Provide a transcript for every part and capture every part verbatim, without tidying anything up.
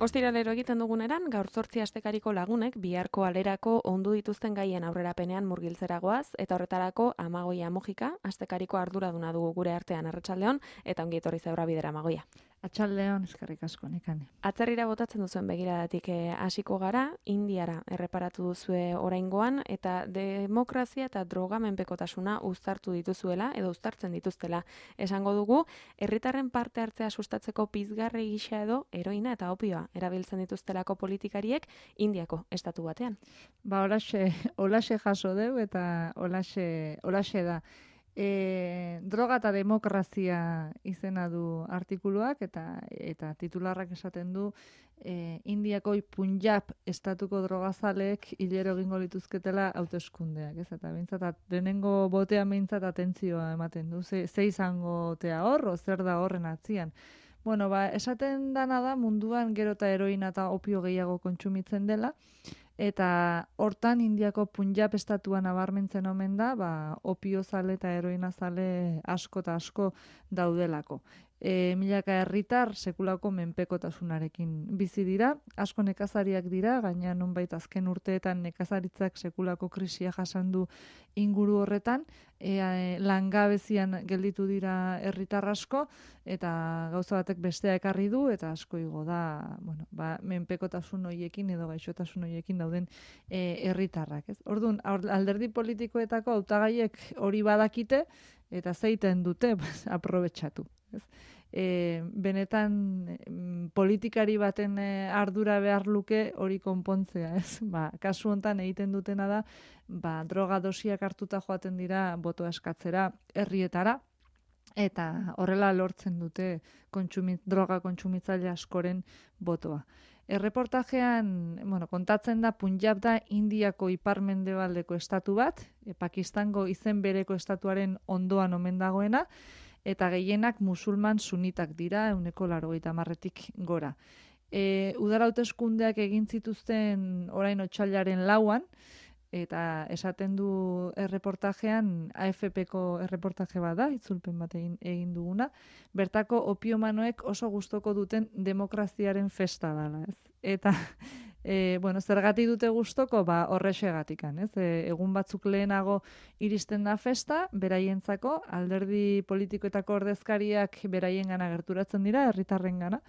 Ostiralero egiten duguneran, gaur zortzi astekariko lagunek biharko alerako ondu dituzten gaien aurrerapenean murgiltzeragoaz, eta horretarako Amagoia Mojika, astekariko arduraduna dugu gure artean Arratsaldeon, eta ongi etorri zaurra bidera Amagoia. Atxaldeon, eskerrik asko, Nekane. Atzerrira botatzen duzuen begiradatik hasiko gara, Indiara erreparatu duzue oraingoan, eta demokrazia eta drogamenpekotasuna uztartu dituzuela, edo uztartzen dituztela esango dugu, herritarren parte hartzea sustatzeko pizgarri gisa edo heroina eta opioa erabiltzen dituztelako politikariek Indiako estatu batean. Ba, olaxe, olaxe jaso deu eta olaxe, olaxe da. E, droga eta demokrazia izena du artikuluak eta eta titularrak esaten du e, Indiako Punjab estatuko drogazaleek hilero egingo lituzketela hauteskundeak, ez? Eta behintzat, lehenengo botea behintzat atentzioa ematen du, ze, ze izango tea hor, o zer da horren atzian. Bueno, ba, esaten dana da munduan gero eta heroina eta opio gehiago kontsumitzen dela, eta hortan Indiako Punjab estatuan nabarmentzen omen da, ba, opio zale eta heroina zale asko eta asko daudelako. E, milaka herritar sekulako menpekotasunarekin bizi dira, asko nekazariak dira, gaina nonbait azken urteetan nekazaritzak sekulako krisia jasan du inguru horretan, e, e, langabezian gelditu dira herritar asko, eta gauza batek bestea ekarri du, eta asko igo da, bueno, ba, menpekotasun hoiekin edo gaixotasun hoiekin dauden e, herritarrak, ez? Orduan, alderdi politikoetako hautagaiek hori badakite, eta zeiten dute, pues, aprobetxatu. Ez? E, benetan mm, politikari baten e, ardura behar luke hori konpontzea, ez? Ba, kasu hontan egiten dutena da, ba, droga dosiak hartuta joaten dira botoa eskatzera herrietara, eta horrela lortzen dute kontsumit, droga kontsumitzaile askoren botoa. Erreportajean, bueno, kontatzen da Punjab da Indiako ipar-mendebaldeko estatu bat, e, Pakistango izen bereko estatuaren ondoan omen dagoena, eta gehienak musulman sunitak dira, ehuneko laurogeita hamarretik gora. E, udara hauteskundeak egin zituzten orain otsailaren lauan, eta esaten du erreportajean, A F Pko erreportaje bat da, itzulpen bat egin, egin duguna, bertako opiomanoek oso gustoko duten demokraziaren festa dela, ez? Eta, e, bueno, zergatik dute gustoko, ba, horrexegatikan, ez? E, egun batzuk lehenago iristen da festa, beraientzako, alderdi politikoetako ordezkariak beraien gana gerturatzen dira, herritarren gana,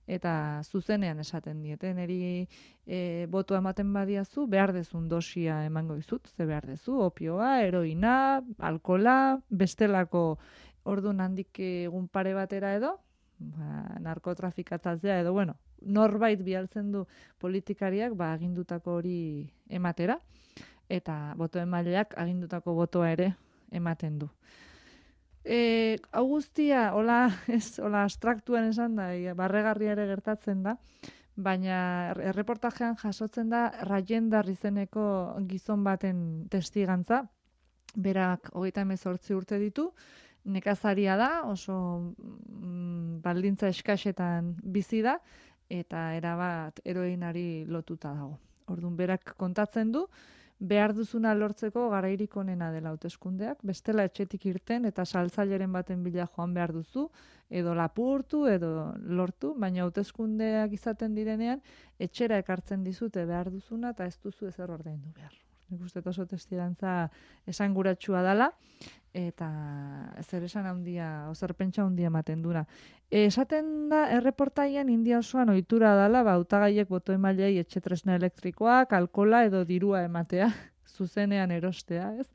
eta zuzenean esaten diete, neri e, botua ematen badiazu, behar dezun dosia emango dizut, ze behar dezu, opioa, heroina, alkola, bestelako ordun handik egun pare batera edo, ba, narkotrafikatzea edo, bueno, norbait bialtzen du politikariak ba, agindutako hori ematera, eta boto emaileak agindutako botoa ere ematen du. E, hau guztia, hola, ez, hola abstraktuan esan da, barregarria ere gertatzen da, baina erreportajean jasotzen da Rajendar izeneko gizon baten testigantza, berak hogeita hemezortzi urte ditu, nekazaria da, oso mm, baldintza eskasetan bizi da, eta erabat heroinari lotuta dago. Orduan, berak kontatzen du, behar duzuna lortzeko garairik onena dela hauteskundeak, bestela etxetik irten eta saltzaileren baten bila joan behar duzu, edo lapurtu, edo lortu, baina hauteskundeak izaten direnean, etxera ekartzen dizute behar duzuna, eta ez duzu ezer ordaindu behar. Nik uste oso testigantza esanguratsua dela, eta zer esan handia, ozer pentsa handia ematen dura. Esaten da, erreportaian India osoan ohitura dela, ba, hautagaiek boto emailei etxe tresna elektrikoak, alkola edo dirua ematea, zuzenean erostea, ez?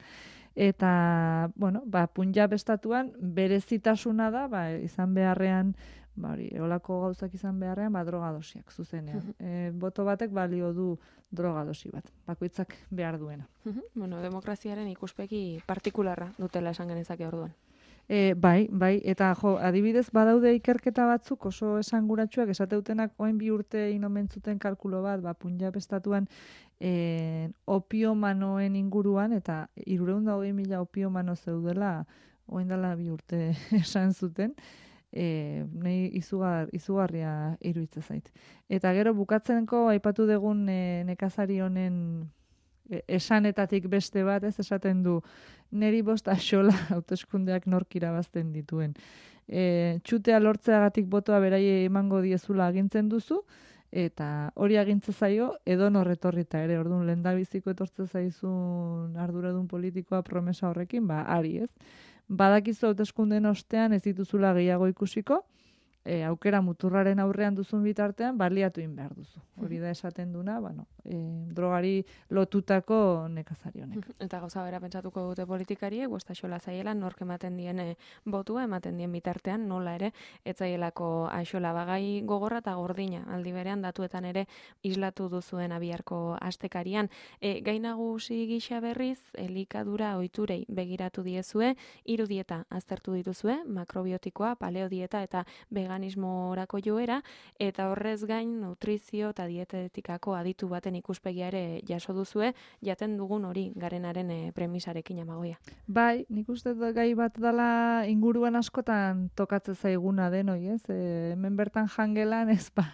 Eta, bueno, ba, Punjab estatuan berezitasuna da, ba, izan beharrean, ba, hori, eolako gauzak izan beharrean, ba, drogadosiak, zuzenean. E, boto batek balio du drogadosi bat, bakoitzak behar duena. Bueno, demokraziaren ikuspegi partikularra dutela esan genezake orduan. E, bai, bai, eta jo, adibidez badaude ikerketa batzuk oso esanguratsuak esateutenak oain bi urte inomentzuten kalkulo bat, ba, Punjab estatuan e, opiomanoen inguruan, eta hirurehun eta hogei mila opiomano zeudela oain dela bi urte esan zuten, E, nahi izugar, izugarria iruditzen zait. Eta gero bukatzenko aipatu dugun e, nekazari honen e, esanetatik beste bat, ez esaten du, neri bost axola hauteskundeak nork irabazten dituen. E, txutea lortzeagatik botoa beraie emango diezula agintzen duzu, eta hori agintze zaio edonor etorrita ere. Orduan lehendabiziko etortze zaizun arduradun politikoa promesa horrekin, ba ari, ez? Badakizu hauteskundeen ostean ez dituzula gehiago ikusiko, e, aukera muturraren aurrean duzun bitartean baliatu in behar duzu. Hori da esaten duna, bueno, e, drogari lotutako nekazari honek. Eta gauza bera pentsatuko dute politikariek, bosta xola zaiela, nork ematen dien e, botua, ematen dien bitartean, nola ere, etzaielako aixola bagai gogorra eta gordina, aldi berean datuetan ere islatu duzuen abiarko astekarian. E, gai nagusi gisa berriz, elikadura ohiturei begiratu diezue, hiru dieta aztertu dituzue, makrobiotikoa, paleodieta eta veganismorako joera, eta horrez gain nutrizio eta dietetikako aditu baten ikuspegia ere jaso duzue, jaten dugun hori garenaren e, premisarekin Amagoia. Bai, nik uste dut gai bat dela inguruan askotan tokatze zaiguna denoi, ez? E, hemen bertan jangelan ez ba,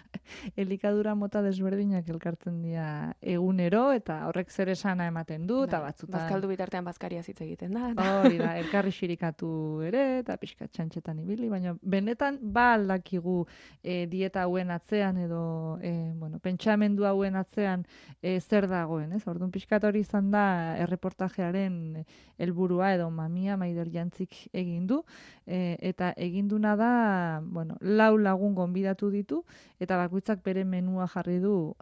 elikadura mota desberdinak elkartzen dira egunero, eta horrek zer esana ematen du, eta bai, batzutan... Bazkaldu bitartean bazkaria hitz egiten da. Eta... Hori da, elkarri xirikatu ere, eta pixka txantxetan ibili, baina benetan ba aldakigu e, dieta hauen atzean, edo e, bueno, pentsamendu hauen atzean e, zer dagoen, ez? Orduan pixkat hori izan da erreportajearen helburua edo mamia Maider Jantzik egin du, e, eta egin duna da, bueno, lau lagun gonbidatu ditu, eta bakoitzak bere menua jarri du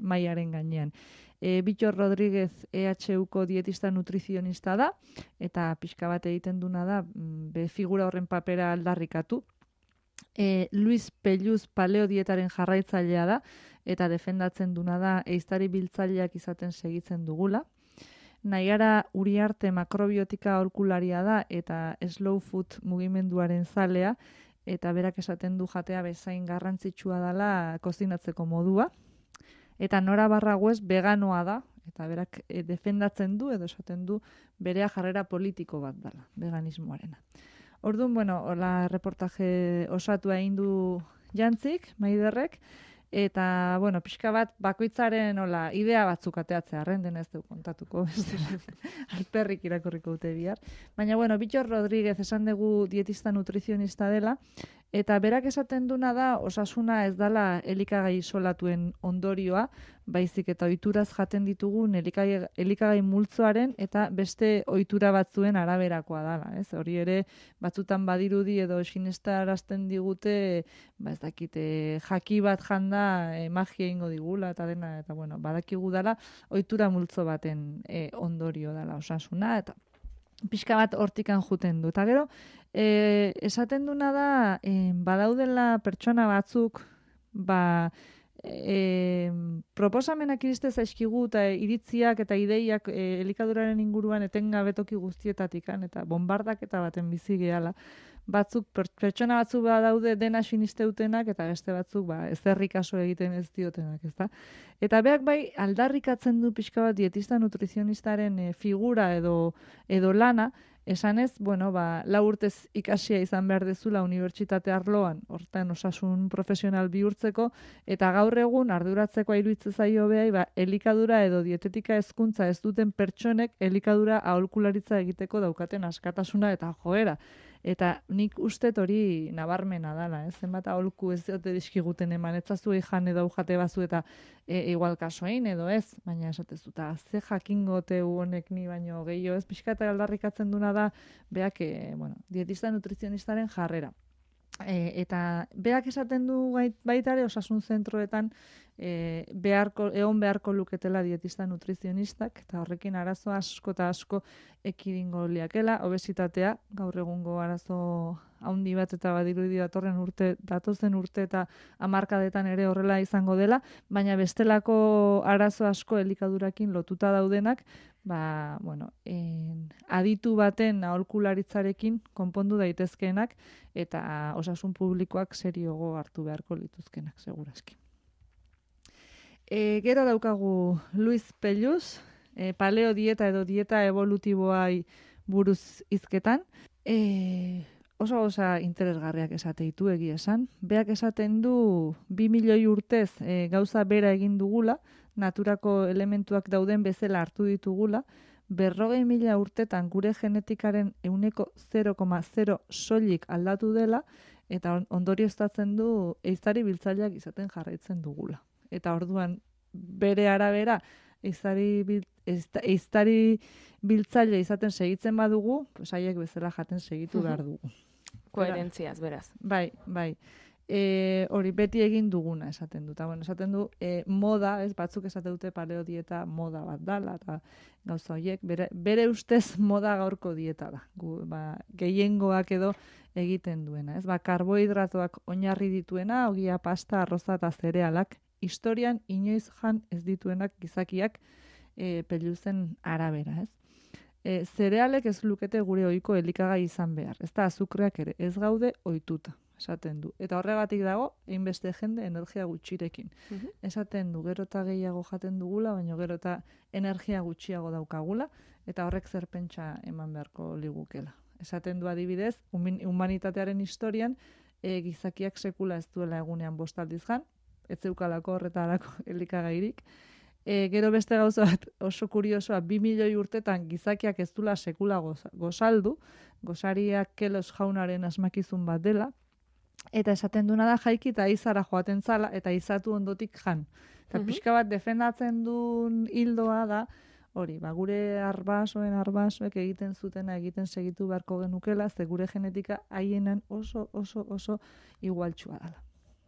maiaren gainean. E, Bitxor Rodríguez E H Uko dietista nutrizionista da, eta pixka bat egiten duna da, be figura horren papera aldarrikatu. E, Luis Pelluz paleo dietaren jarraitzailea da, eta defendatzen duna da ehiztari biltzaileak izaten segitzen dugula. Naiara Uriarte makrobiotika aholkularia da, eta slow food mugimenduaren zalea, eta berak esaten du jatea bezain garrantzitsua dela kozinatzeko modua. Eta Nora Barraguez veganoa da, eta berak e, defendatzen du, edo esaten du berea jarrera politiko bat dela, veganismoarena. Orduan, bueno, hola reportaje osatua egin du Jantzik, Maiderrek, eta, bueno, pixka bat bakoitzaren hola idea batzuk ateatzea, arren ez du kontatuko, alperrik irakurriko dute bihar. Baina, bueno, Bitxor Rodríguez esan dugu dietista nutrizionista dela, eta berak esaten duna da osasuna ez dela elikagai isolatuen ondorioa, baizik eta ohituraz jaten ditugun elikagai, elikagai multzoaren eta beste ohitura batzuen araberakoa dela, ez? Hori ere batzutan badirudi edo sinestarazten digute, ba ez dakite, jaki bat janda e, magia ingo digula eta dena, eta bueno, badakigu dela ohitura multzo baten e, ondorio dela osasuna, eta pixka bat hortikan juten du. Eta gero, e, esaten duna da, e, badaudela pertsona batzuk, ba, e, proposamenak iriste zaizkigu eta iritziak eta ideiak e, elikaduraren inguruan etengabetoki guztietatikan, eta bombardak eta baten bizi gehala. Batzuk, pertsona batzuk badaude dena sinisteutenak, eta beste batzuk ba, ezerrik kaso egiten ez diotenak, ezta? Eta beak bai aldarrikatzen du pixka bat dietista nutrizionistaren e, figura edo, edo lana, esanez, bueno, ba, lau urtez ikasia izan behar dezula unibertsitate arloan, hortan osasun profesional bihurtzeko, eta gaur egun arduratzeko iruditzen zaio behai, ba, elikadura edo dietetika hezkuntza ez duten pertsonek elikadura aholkularitza egiteko daukaten askatasuna eta joera. Eta nik ustet hori nabarmena dala, ez? Zenbat aholku ez dute dizkiguten eman, etzazu jan edo jate bazu eta e, igual kasoein edo ez, baina esatezu, eta ze jakingote honek ni baino gehiago ez, pixka eta aldarrikatzen duna da, beak, e, bueno, dietista nutrizionistaren jarrera. E, eta beak esaten du baita ere osasun zentroetan e, beharko, egon beharko luketela dietista nutrizionistak, eta horrekin arazo asko eta asko ekidingo liakela, obesitatea, gaur egungo arazo haundi bat eta badirudi datorren urte, datozen urte eta hamarkadetan ere horrela izango dela, baina bestelako arazo asko elikadurakin lotuta daudenak, ba, bueno, en, aditu baten aholkularitzarekin konpondu daitezkeenak eta osasun publikoak seriogo hartu beharko lituzkenak, segurazki. E, gero daukagu Luis Pelluz, e, paleo dieta edo dieta evolutiboai buruz hizketan. E, oso osa interesgarriak esate ditu egia esan. Beak esaten du bi milioi urtez e, gauza bera egin dugula, naturako elementuak dauden bezala hartu ditugula, berrogei mila urtetan gure genetikaren ehuneko zero koma zero soilik aldatu dela, eta ondorioztatzen du ehiztari biltzaileak izaten jarraitzen dugula. eta orduan bere arabera eiztari bil, eiztari biltzaile izaten segitzen badugu, pues haiek bezala jaten segitu behar dugu. Koherentziaz, beraz. Bai, bai. E, hori beti egin duguna esaten du. Ta, bueno, esaten du e, moda, ez batzuk esaten dute paleo dieta moda bat dala, eta gauza horiek, bere, bere ustez moda gaurko dieta da. Gu, ba, gehiengoak edo egiten duena. Ez? Ba, karbohidratoak oinarri dituena, ogia, pasta, arroza eta zerealak, historian inoiz jan ez dituenak gizakiak e, peluzen arabera. Ez? E, zerealek ez lukete gure ohiko elikagai izan behar. Ez da azukreak ere, ez gaude ohituta. Esaten du. Eta horregatik dago, hainbeste jende energia gutxirekin. Uh-huh. Esaten du, gero eta gehiago jaten dugula, baina gero eta energia gutxiago daukagula, eta horrek zer pentsa eman beharko ligukela. Esaten du adibidez, humanitatearen historian, e, gizakiak sekula ez duela egunean bostaldiz jan, ez zeukalako horretarako elikagairik. E, gero beste gauza bat oso kuriosoa, bi milioi urtetan gizakiak ez duela sekula goza, gozaldu, gozariak kelos jaunaren asmakizun bat dela, eta esaten duna da jaiki eta izara joaten zala, eta izatu ondotik jan. Eta uh-huh. pixka bat defendatzen duen hildoa da, hori, ba, gure arbasoen arbasoek egiten zutena egiten segitu beharko genukela, ze gure genetika haienan oso, oso, oso igualtsua dela.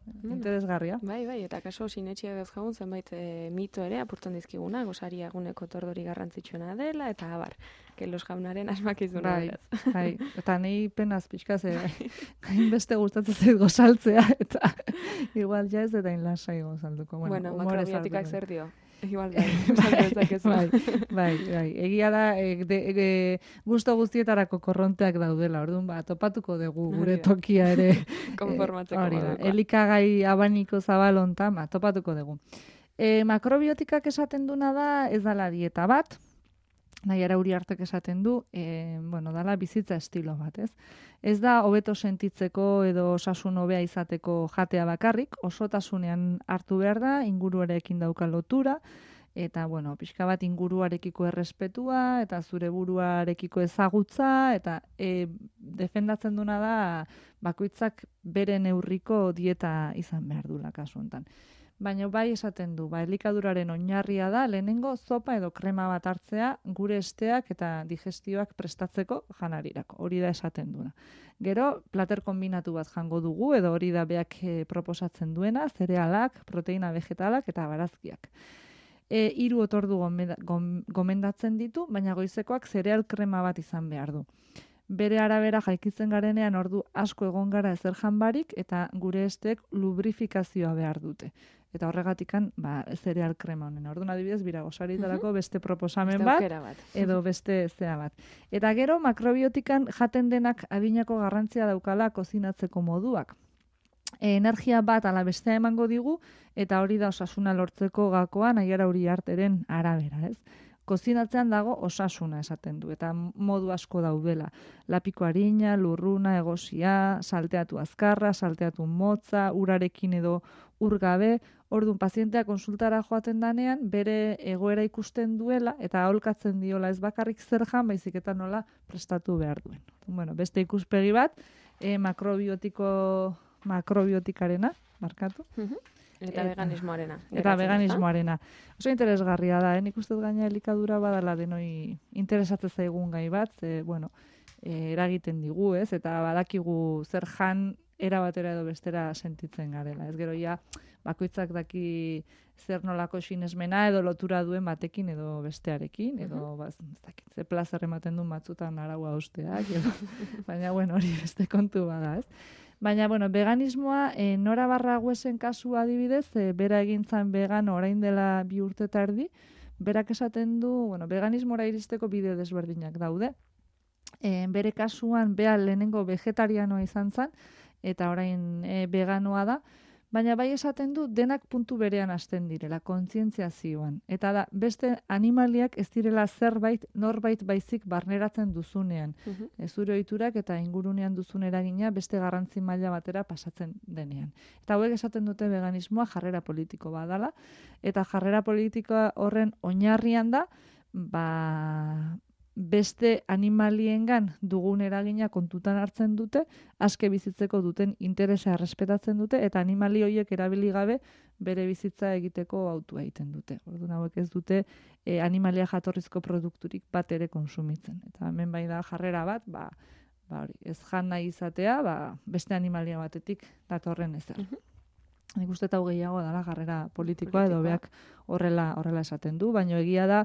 Mm. Interesgarria. Bai, bai, eta kaso sinetxia daz jaun zenbait e, mito ere apurtzen dizkiguna, gosaria eguneko tordori garrantzitsuena dela, eta abar, kelos jaunaren asmakizuna. Bai, bai, eta nahi penaz pixka ze, hainbeste gustatzen zait gozaltzea, eta igual ja ez eta inlasai gozalduko. Bueno, bueno makrobiotikak zer dio? Igual bai, bai, bai, bai. Egia da, e, de, e, gusto guztietarako korronteak daudela, orduan, ba, topatuko dugu gure tokia ere. Konformatzeko e, moduko. Elikagai abaniko zabalonta, ba, topatuko dugu. E, makrobiotikak esaten duna da, ez dala dieta bat, nahi ara Uriartek esaten du, e, bueno, dala bizitza estilo bat, ez? Ez da hobeto sentitzeko edo osasun hobea izateko jatea bakarrik, osotasunean hartu behar da, inguruarekin dauka lotura, eta, bueno, pixka bat inguruarekiko errespetua, eta zure buruarekiko ezagutza, eta e, defendatzen duna da, bakoitzak bere neurriko dieta izan behar dula kasu honetan. Baina bai esaten du, ba, elikaduraren oinarria da, lehenengo zopa edo krema bat hartzea gure esteak eta digestioak prestatzeko janarirako. Hori da esaten duena. Gero, plater kombinatu bat jango dugu, edo hori da beak e, proposatzen duena, zerealak, proteina vegetalak eta barazkiak. E, hiru otordu gomendatzen ditu, baina goizekoak zereal krema bat izan behar du. Bere arabera jaikitzen garenean ordu asko egon gara ezer janbarik eta gure estek lubrifikazioa behar dute. Eta horregatikan, ba, zereal krema honen. Orduan adibidez, bira gosaritarako beste proposamen bat, bat, edo beste zea bat. Eta gero, makrobiotikan jaten denak adinako garrantzia daukala kozinatzeko moduak. E, energia bat ala bestea emango digu, eta hori da osasuna lortzeko gakoan, aiara Uriarteren arabera, ez? Kozinatzean dago osasuna esaten du, eta modu asko daudela. Lapiko harina, lurruna, egosia, salteatu azkarra, salteatu motza, urarekin edo urgabe. Orduan, pazientea konsultara joaten danean, bere egoera ikusten duela, eta aholkatzen diola ez bakarrik zer jan, baizik eta nola prestatu behar duen. Bueno, beste ikuspegi bat, e, makrobiotiko, makrobiotikarena, markatu. Eta, eta veganismoarena. Eta veganismoarena. Oso interesgarria da, eh? Nik uste gaina elikadura badala denoi interesatzen zaigun gai bat, ze, bueno, e, eragiten digu, ez? Eta badakigu zer jan era batera edo bestera sentitzen garela. Ez gero ja, bakoitzak daki zer nolako sinesmena edo lotura duen batekin edo bestearekin, edo uh-huh. baz, ez dakit, ze plazer ematen duen batzutan araua usteak, edo, baina, bueno, hori beste kontu bada, ez? Baina, bueno, veganismoa, e, Nora Barraguesen kasu adibidez, e, bera egintzan vegano orain dela bi urte eta erdi, berak esaten du, bueno, veganismora iristeko bide desberdinak daude. E, bere kasuan, bea lehenengo vegetarianoa izan zen, eta orain e, veganoa da, baina bai esaten du denak puntu berean hasten direla, kontzientziazioan. Eta da, beste animaliak ez direla zerbait, norbait baizik barneratzen duzunean. Uh-huh. Ez zure ohiturak eta ingurunean duzun eragina beste garrantzi maila batera pasatzen denean. Eta hauek esaten dute veganismoa jarrera politiko badala, eta jarrera politikoa horren oinarrian da, ba, beste animaliengan dugun eragina kontutan hartzen dute, aske bizitzeko duten interesa errespetatzen dute, eta animali horiek erabili gabe bere bizitza egiteko autua egiten dute. Orduan hauek ez dute e, animalia jatorrizko produkturik bat ere konsumitzen. Eta hemen bai da jarrera bat, ba, ba hori, ez jan nahi izatea, ba, beste animalia batetik datorren ezer. Uh -huh. Nik uste eta gehiago dela jarrera politikoa, edo beak horrela horrela esaten du, baina egia da,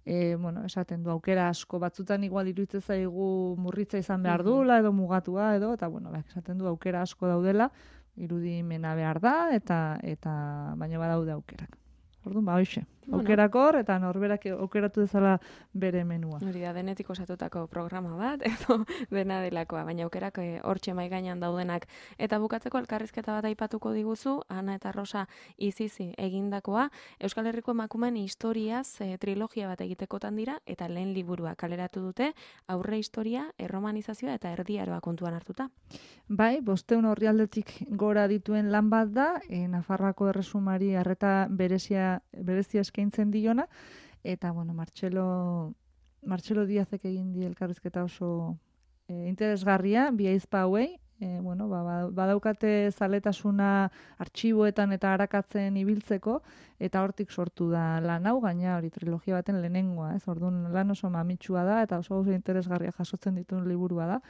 e, bueno, esaten du aukera asko, batzutan igual iruditzen zaigu murritza izan behar dula, edo mugatua, edo, eta bueno, beak esaten du aukera asko daudela, irudimena behar da, eta eta baina badaude aukerak. Orduan, ba, hoxe. Bueno. Aukerakor, eta norberak aukeratu dezala bere menua. Hori da, denetik osatutako programa bat, edo dena delakoa, baina aukerak hortxe mai gainean daudenak. Eta bukatzeko elkarrizketa bat aipatuko diguzu, Ana eta Rosa Izizi egindakoa, Euskal Herriko emakumeen historiaz e, trilogia bat egitekotan dira, eta lehen liburua kaleratu dute, aurre historia, erromanizazioa eta erdiaroa kontuan hartuta. Bai, bosteun orrialdetik gora dituen lan bat da, e, Nafarroako erresumari arreta berezia, berezia eskaintzen diona, eta, bueno, Martxelo, Martxelo Diazek egin di elkarrizketa oso e, interesgarria, bi aizpa hauei, e, bueno, ba, badaukate zaletasuna artxiboetan eta arakatzen ibiltzeko, eta hortik sortu da lan hau, gaina hori trilogia baten lehenengoa, ez? Orduan lan oso mamitsua da, eta oso oso interesgarria jasotzen dituen liburua da.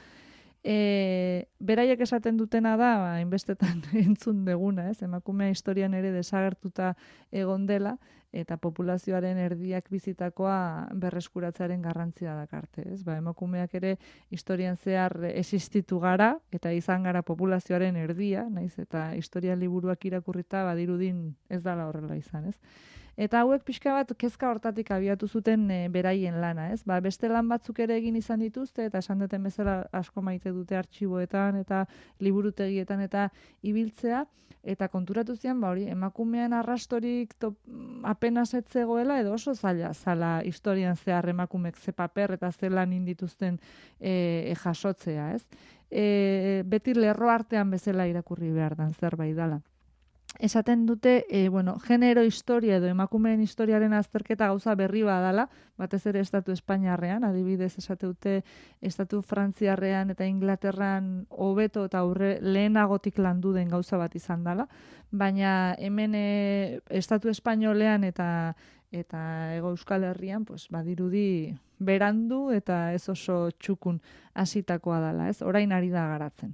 E, beraiek esaten dutena da, ba, inbestetan entzun deguna, ez? Emakumea historian ere desagertuta egon dela, eta populazioaren erdiak bizitakoa berreskuratzearen garrantzia dakarte, ez? Ba, emakumeak ere historian zehar existitu gara, eta izan gara populazioaren erdia, naiz, eta historia liburuak irakurrita badirudin ez dala horrela izan, ez? Eta hauek pixka bat kezka hortatik abiatu zuten e, beraien lana, ez? Ba, beste lan batzuk ere egin izan dituzte, eta esan duten bezala asko maite dute artxiboetan, eta liburutegietan, eta ibiltzea, eta konturatu zian, ba, hori, emakumean arrastorik top, apenas etzegoela, edo oso zaila zala historian zehar emakumek ze paper eta ze lan indituzten e, e, jasotzea, ez? E, beti lerro artean bezala irakurri behar dan zerbait dala. Esaten dute, e, bueno, genero historia edo emakumeen historiaren azterketa gauza berri badala, batez ere estatu Espainiarrean, adibidez esate dute estatu Frantziarrean eta Inglaterran hobeto eta aurre lehenagotik landu den gauza bat izan dela, baina hemen e, estatu Espainolean eta eta Hego Euskal Herrian, pues, badirudi berandu eta ez oso txukun hasitakoa dela, ez? Orain ari da garatzen.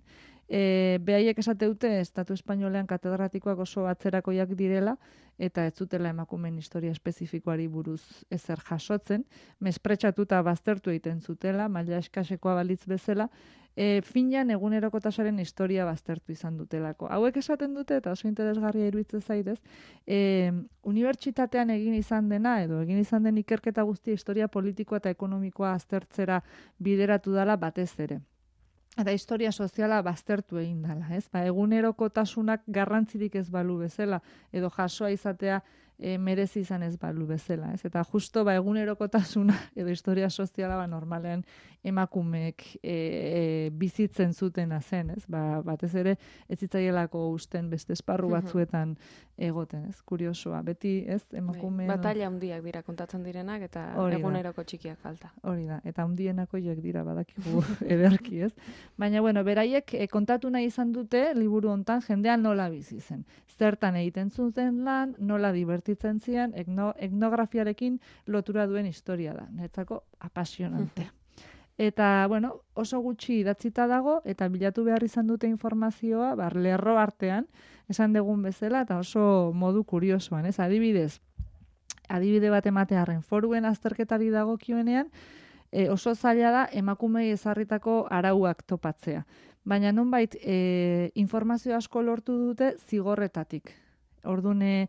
E, behaiek esate dute estatu espainolean katedratikoak oso atzerakoiak direla eta ez zutela emakumeen historia espezifikoari buruz ezer jasotzen, mespretsatuta baztertu egiten zutela, maila eskasekoa balitz bezala, e, finean egunerokotasaren historia baztertu izan dutelako. Hauek esaten dute, eta oso interesgarria iruditzen zaitez, e, unibertsitatean egin izan dena, edo egin izan den ikerketa guztia historia politikoa eta ekonomikoa aztertzera bideratu dela batez ere. Eta historia soziala baztertu egin dela, ez? Ba, egunerokotasunak garrantzirik ez balu bezala, edo jasoa izatea e, merezi izan ez balu bezala, ez? Eta justo ba, egunerokotasuna edo historia soziala ba, normalean emakumeek e, e, bizitzen zutena zen, ez? Ba, batez ere ez zitzaielako usten beste esparru batzuetan egoten, ez? Kuriosoa, beti, ez? Emakumeen... Batalla handiak dira kontatzen direnak eta eguneroko txikiak falta. Hori da, eta handienako joek dira badakigu ederki, ez? Baina, bueno, beraiek e, kontatu nahi izan dute liburu hontan jendean nola bizi zen. Zertan egiten zuten lan, nola divertitzen zian, etno, etnografiarekin lotura duen historia da. Netzako apasionantea. Eta, bueno, oso gutxi idatzita dago, eta bilatu behar izan dute informazioa, bar, lerro artean, esan degun bezala, eta oso modu kuriosoan, ez? Adibidez, adibide bat ematearren foruen azterketari dagokioenean, E, oso zaila da emakumei ezarritako arauak topatzea. Baina nonbait e, informazio asko lortu dute zigorretatik. Orduan, e,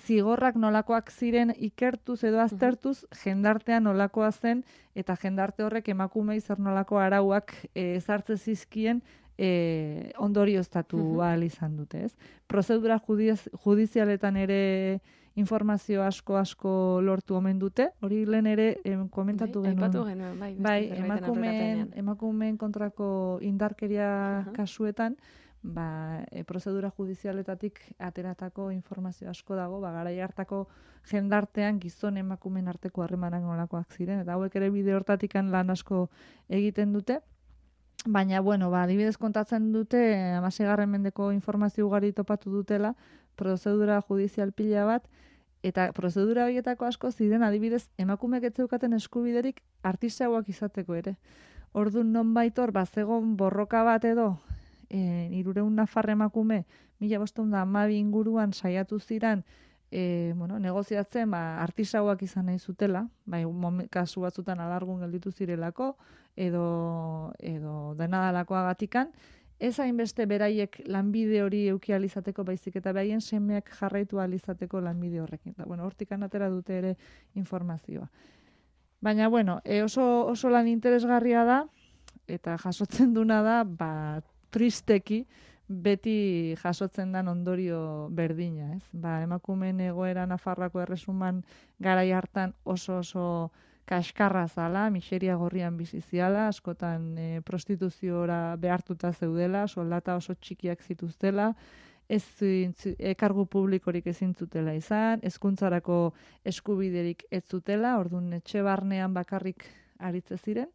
zigorrak nolakoak ziren ikertuz edo aztertuz, jendartean nolakoa zen, eta jendarte horrek emakumei zer nolako arauak e, ezartze zizkien e, ondorioztatu ahal izan dute. Ez? Prozedura judiz, judizialetan ere informazio asko asko lortu omen dute, hori lehen ere em, komentatu bai, genuen. genuen. Bai, bai emakumeen, emakumeen kontrako indarkeria uh -huh. kasuetan, ba, e, prozedura judizialetatik ateratako informazio asko dago, ba, garai hartako jendartean gizon emakumen arteko harremanak nolakoak ziren, eta hauek ere bide hortatikan lan asko egiten dute. Baina, bueno, ba, adibidez kontatzen dute, hamaseigarren mendeko informazio ugari topatu dutela, prozedura judizial pila bat, eta prozedura horietako asko ziren adibidez emakumeek ez zeukaten eskubiderik artisauak izateko ere. Orduan nonbait hor, bazegon borroka bat edo, e, hirureun nafar emakume, mila bostehun eta hamabi inguruan saiatu ziren, e, bueno, negoziatzen ba, artisauak izan nahi zutela, bai, kasu batzutan alargun gelditu zirelako, edo, edo denadalakoagatikan, ez hainbeste beraiek lanbide hori euki alizateko baizik eta behaien semeak jarraitu alizateko lanbide horrekin. Da, bueno, hortikan atera dute ere informazioa. Baina, bueno, e oso, oso lan interesgarria da, eta jasotzen duna da, ba, tristeki, beti jasotzen dan ondorio berdina, ez? Ba, emakumeen egoera Nafarroako erresuman garai hartan oso oso kaskarra zala, miseria gorrian biziziala, askotan e, prostituziora behartuta zeudela, soldata oso txikiak zituztela, ez ekargu publikorik ezin zutela izan, hezkuntzarako eskubiderik ez zutela, orduan etxe barnean bakarrik aritze ziren,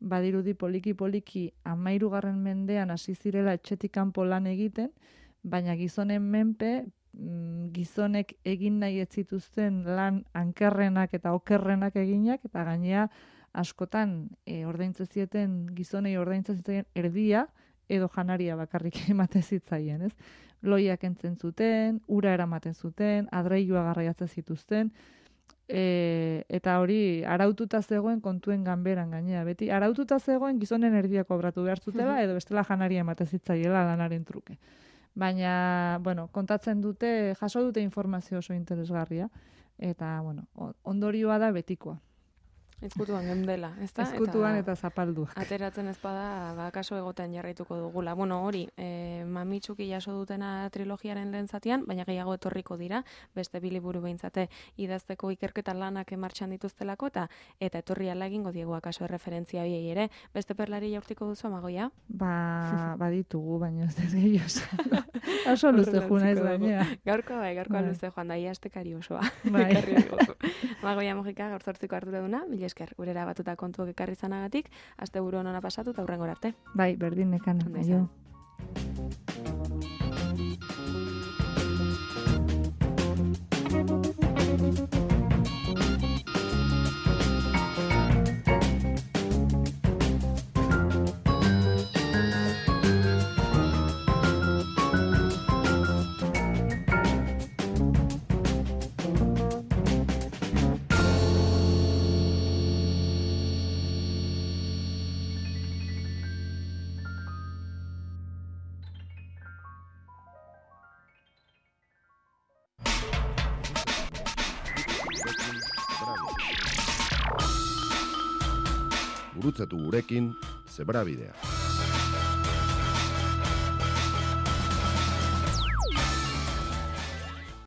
badirudi poliki-poliki hamahirugarren mendean hasi zirela etxetik kanpo lan egiten, baina gizonen menpe, gizonek egin nahi ez zituzten lan ankerrenak eta okerrenak eginak, eta gainea askotan e, ordaintzen zieten gizonei ordaintzen zitzaien erdia edo janaria bakarrik ematen zitzaien, ez? Loiak entzen zuten, ura eramaten zuten, adreilua garraiatzen zituzten, e, eta hori araututa zegoen kontuen ganberan gainea. Beti araututa zegoen gizonen erdia kobratu behar zutela edo bestela janaria ematen zitzaiela lanaren truke. Baina, bueno, kontatzen dute, jaso dute informazio oso interesgarria, eta, bueno, ondorioa da betikoa. Ezkutuan gendela, ezta? Ezkutuan eta, eta zapalduak. Ateratzen ezpada, ba, kaso egoten jarraituko dugula. Bueno, hori, e, mamitsuki jaso dutena trilogiaren lehen zatian, baina gehiago etorriko dira, beste biliburu behintzate idazteko ikerketa lanak martxan dituztelako, eta eta etorri ala egingo diegu akaso erreferentzia biei ere. Beste perlari jaurtiko duzu, Amagoia? Ba, baditugu, baina ez dut gehiago. Oso luze juna ez baina. Gaurko bai, gaurkoa bai. Luze joan da, ia estekari osoa. Bai. Amagoia Mojika, gaur zortziko hartura duna, mila esker, gurera batuta kontuak ekarri zanagatik, aste buru honona pasatu eta hurrengora arte. Bai, berdin nekan. Aio. Gurutzatu gurekin Zebrabidea.